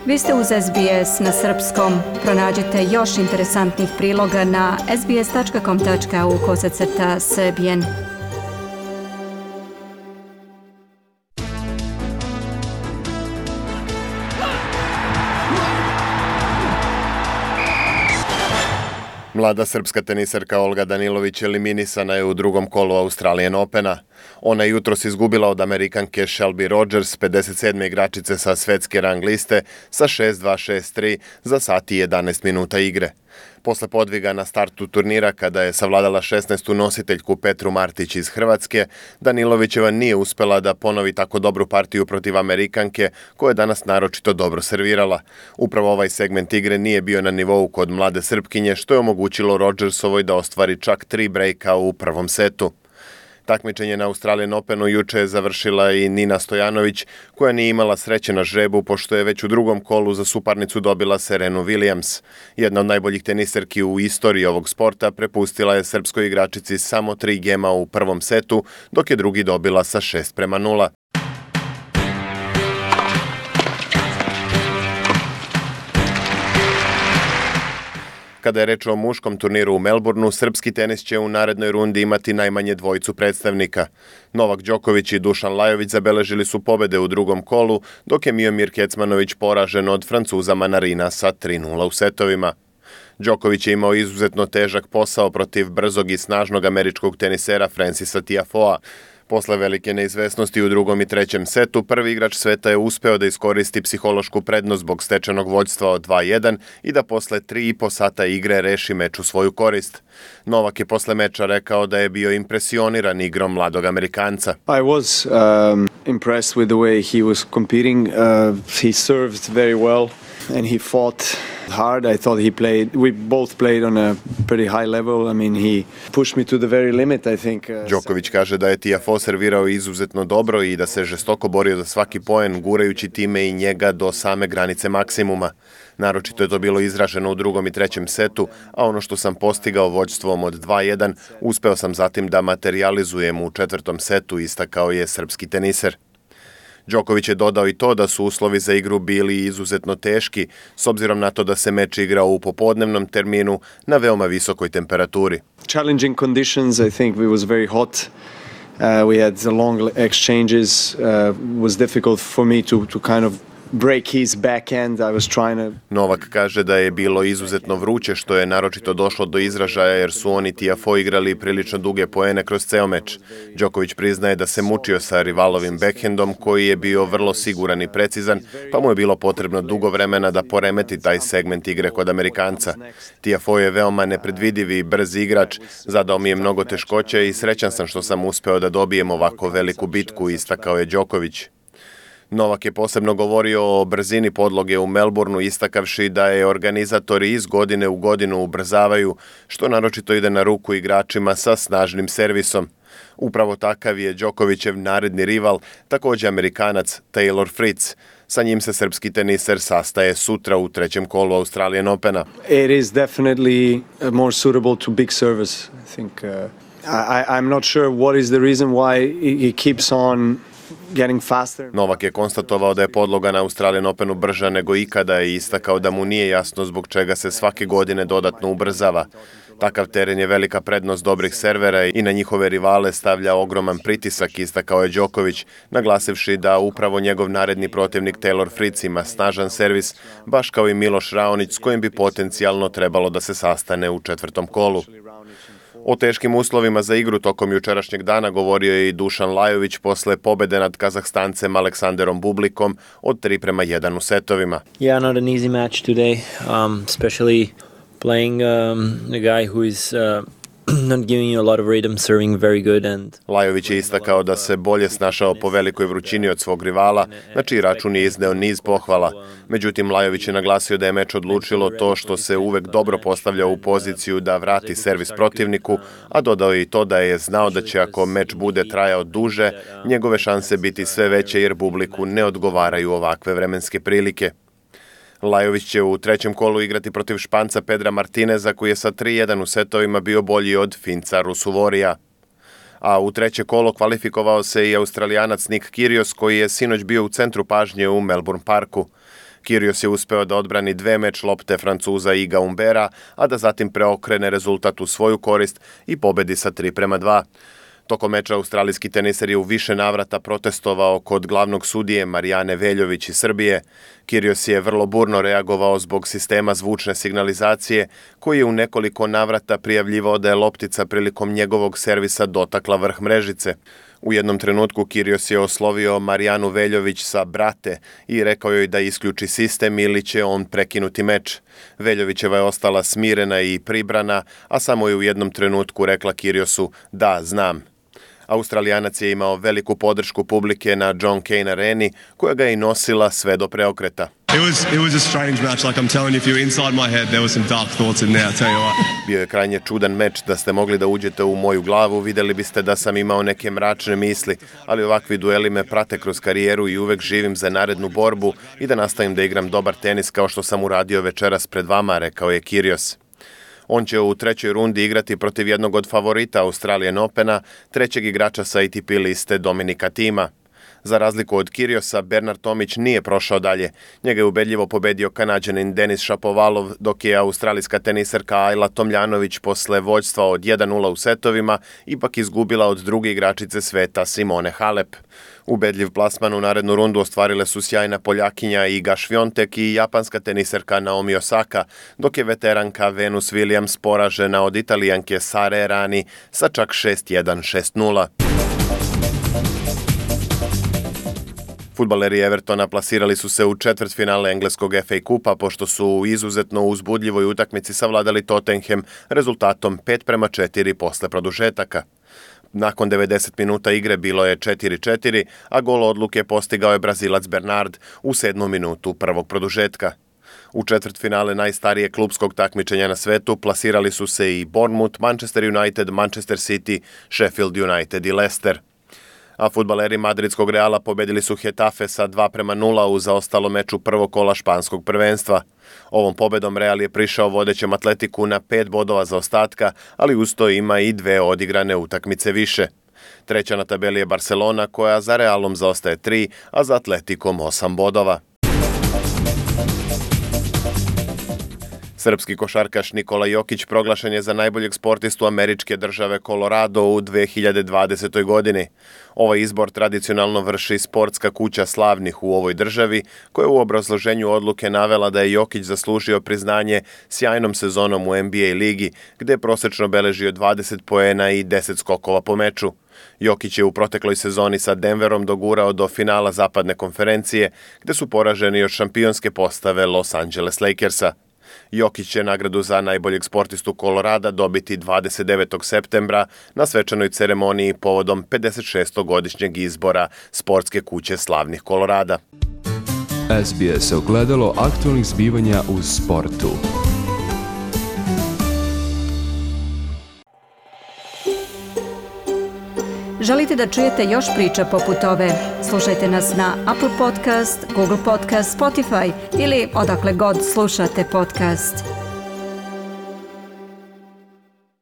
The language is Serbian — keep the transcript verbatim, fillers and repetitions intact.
Vi ste uz S B S na srpskom. Pronađite još interesantnih priloga na sbs.com.au kosacrta srbijen. Mlada srpska tenisarka Olga Danilović eliminisana je u drugom kolu Australian Opena. Ona je jutros izgubila od Amerikanke Shelby Rogers, pedeset sedme igračice sa svetske rang liste, sa šest dva šest tri za sat i jedanaest minuta igre. Posle podviga na startu turnira, kada je savladala šesnaestu nositeljku Petru Martić iz Hrvatske, Danilovićeva nije uspela da ponovi tako dobru partiju protiv Amerikanke, koja je danas naročito dobro servirala. Upravo ovaj segment igre nije bio na nivou kod mlade Srpkinje, što je omogućilo Rogersovoj da ostvari čak tri brejka u prvom setu. Takmičenje na Australian Openu juče je završila i Nina Stojanović, koja nije imala sreće na žrebu, pošto je već u drugom kolu za suparnicu dobila Serenu Williams. Jedna od najboljih teniserki u istoriji ovog sporta prepustila je srpskoj igračici samo tri gema u prvom setu, dok je drugi dobila sa šest prema nula. Kada je reč o muškom turniru u Melbourneu, srpski tenis će u narednoj rundi imati najmanje dvojicu predstavnika. Novak Đoković i Dušan Lajović zabeležili su pobede u drugom kolu, dok je Miomir Kecmanović poražen od Francuza Manarina sa tri nula u setovima. Đoković je imao izuzetno težak posao protiv brzog i snažnog američkog tenisera Francisa Tiafoea. Posle velike neizvesnosti u drugom i trećem setu, prvi igrač sveta je uspeo da iskoristi psihološku prednost zbog stečenog vođstva od dva jedan i da posle tri i po sata igre reši meč u svoju korist. Novak je posle meča rekao da je bio impresioniran igrom mladog Amerikanca. I was um, impressed with the way he was competing. Uh, he served very well and he fought hard. I thought he played, we both played on a pretty high level. I mean, he pushed me to the very limit, I think. Uh, Đoković kaže da je Tiafoe servirao izuzetno dobro i da se žestoko borio za svaki poen, gurajući time i njega do same granice maksimuma. Naročito je to bilo izraženo u drugom i trećem setu, a ono što sam postigao vođstvom od dva jedan, uspeo sam zatim da materializujem u četvrtom setu, istakao je srpski teniser. Đoković je dodao i to da su uslovi za igru bili izuzetno teški, s obzirom na to da se meč igrao u popodnevnom terminu na veoma visokoj temperaturi. Challenging conditions, I think we was very hot. Uh, we had long exchanges. Uh, was difficult for me to to kind of break his backhand. I was trying to... Novak kaže da je bilo izuzetno vruće, što je naročito došlo do izražaja jer su oni Tiafoe igrali prilično duge poene kroz ceo meč. Đoković priznaje da se mučio sa rivalovim backhandom koji je bio vrlo siguran i precizan, pa mu je bilo potrebno dugo vremena da poremeti taj segment igre kod Amerikanca. Tiafoe je veoma nepredvidiv i brz igrač, zadao mi je mnogo teškoća i srećan sam što sam uspeo da dobijem ovako veliku bitku, istakao je Đoković. Novak je posebno govorio o brzini podloge u Melbourneu, istakavši da je organizatori iz godine u godinu ubrzavaju, što naročito ide na ruku igračima sa snažnim servisom. Upravo takav je Đokovićev naredni rival, također Amerikanac Taylor Fritz. Sa njim se srpski teniser sastaje sutra u trećem kolu Australian Opena. It is definitely more suitable to big service. I think uh, I, I'm not sure what is the reason why he keeps on getting faster. Novak je konstatovao da je podloga na Australian Openu brža nego ikada i istakao da mu nije jasno zbog čega se svake godine dodatno ubrzava. Takav teren je velika prednost dobrih servera i na njihove rivale stavlja ogroman pritisak, istakao je Đoković, naglasivši da upravo njegov naredni protivnik Taylor Fritz ima snažan servis, baš kao i Miloš Raonić, s kojim bi potencijalno trebalo da se sastane u četvrtom kolu. O teškim uslovima za igru tokom jučerašnjeg dana govorio je i Dušan Lajović posle pobede nad Kazahstancem Aleksanderom Bublikom od tri prema jedan u setovima. Yeah, not an easy match today, um, especially playing um, a guy who is uh, not giving you a lot of rhythm, serving very good and... Lajović je istakao da se bolje snašao po velikoj vrućini od svog rivala, na čiji račun je izneo niz pohvala. Međutim, Lajović je naglasio da je meč odlučilo to što se uvek dobro postavlja u poziciju da vrati servis protivniku, a dodao je i to da je znao da će ako meč bude trajao duže, njegove šanse biti sve veće jer Bubliku ne odgovaraju ovakve vremenske prilike. Lajović će u trećem kolu igrati protiv Španca Pedra Martineza, koji je sa tri jedan u setovima bio bolji od Finca Rusuvorija. A u treće kolo kvalifikovao se i Australijanac Nick Kyrgios, koji je sinoć bio u centru pažnje u Melbourne Parku. Kyrgios je uspeo da odbrani dve meč lopte Francuza Iga Humbera, a da zatim preokrene rezultat u svoju korist i pobedi sa tri prema dva. Tokom meča australijski teniser je u više navrata protestovao kod glavnog sudije Marijane Veljović iz Srbije. Kyrgios je vrlo burno reagovao zbog sistema zvučne signalizacije, koji je u nekoliko navrata prijavljivao da je loptica prilikom njegovog servisa dotakla vrh mrežice. U jednom trenutku Kyrgios je oslovio Marijanu Veljović sa brate i rekao joj da isključi sistem ili će on prekinuti meč. Veljovićeva je ostala smirena i pribrana, a samo je u jednom trenutku rekla Kyrgiosu da znam. Australijanac je imao veliku podršku publike na John Cain areni, koja ga je i nosila sve do preokreta. It was it was a strange match. Like I'm telling you, if you were inside my head, there were some dark thoughts in there. I'll tell you what. Bio je krajnje čudan meč. Da ste mogli da uđete u moju glavu, videli biste da sam imao neke mračne misli, ali ovakvi dueli me prate kroz karijeru i uvek živim za narednu borbu i da nastavim da igram dobar tenis kao što sam uradio večeras pred vama, rekao je Kyrgios. On će u trećoj rundi igrati protiv jednog od favorita Australian Opena, trećeg igrača sa A T P liste Dominika Thima. Za razliku od Kyrgiosa, Bernard Tomić nije prošao dalje. Njega je ubedljivo pobedio Kanađanin Denis Šapovalov, dok je australijska teniserka Ajla Tomljanović posle vođstva od jedan nula u setovima ipak izgubila od druge igračice sveta Simone Halep. Ubedljiv plasman u narednu rundu ostvarile su sjajna Poljakinja Iga Švjontek i japanska teniserka Naomi Osaka, dok je veteranka Venus Williams poražena od Italijanke Sare Errani sa čak šest jedan, šest nula. Fudbaleri Evertona plasirali su se u četvrtfinale engleskog F A kupa pošto su u izuzetno uzbudljivoj utakmici savladali Tottenham rezultatom pet prema četiri posle produžetaka. Nakon devedeset minuta igre bilo je četiri četiri, a gol odluke postigao je Brazilac Bernard u sedmom minutu prvog produžetka. U četvrtfinale najstarije klupskog takmičenja na svetu plasirali su se i Bournemouth, Manchester United, Manchester City, Sheffield United i Leicester. A fudbaleri madridskog Reala pobedili su Hetafe sa dva prema nula u zaostalom meču prvog kola španskog prvenstva. Ovom pobedom Real je prišao vodećem Atletiku na pet bodova zaostatka, ali uz to ima i dve odigrane utakmice više. Treća na tabeli je Barcelona, koja za Realom zaostaje tri, a za Atletikom osam bodova. Srpski košarkaš Nikola Jokić proglašen je za najboljeg sportistu američke države Colorado u dve hiljade dvadesetoj. godini. Ovaj izbor tradicionalno vrši sportska kuća slavnih u ovoj državi, koja je u obrazloženju odluke navela da je Jokić zaslužio priznanje sjajnom sezonom u N B A ligi, gde je prosečno beležio dvadeset poena i deset skokova po meču. Jokić je u protekloj sezoni sa Denverom dogurao do finala zapadne konferencije, gde su poraženi od šampionske postave Los Angeles Lakersa. Jokić će nagradu za najboljeg sportistu Kolorada dobiti dvadeset devetog septembra na svečanoj ceremoniji povodom pedeset šestog godišnjeg izbora sportske kuće slavnih Kolorada. S B S ogledalo aktualnih zbivanja u sportu. Želite da čujete još priča poput ove? Slušajte nas na Apple Podcast, Google Podcast, Spotify ili odakle god slušate podcast.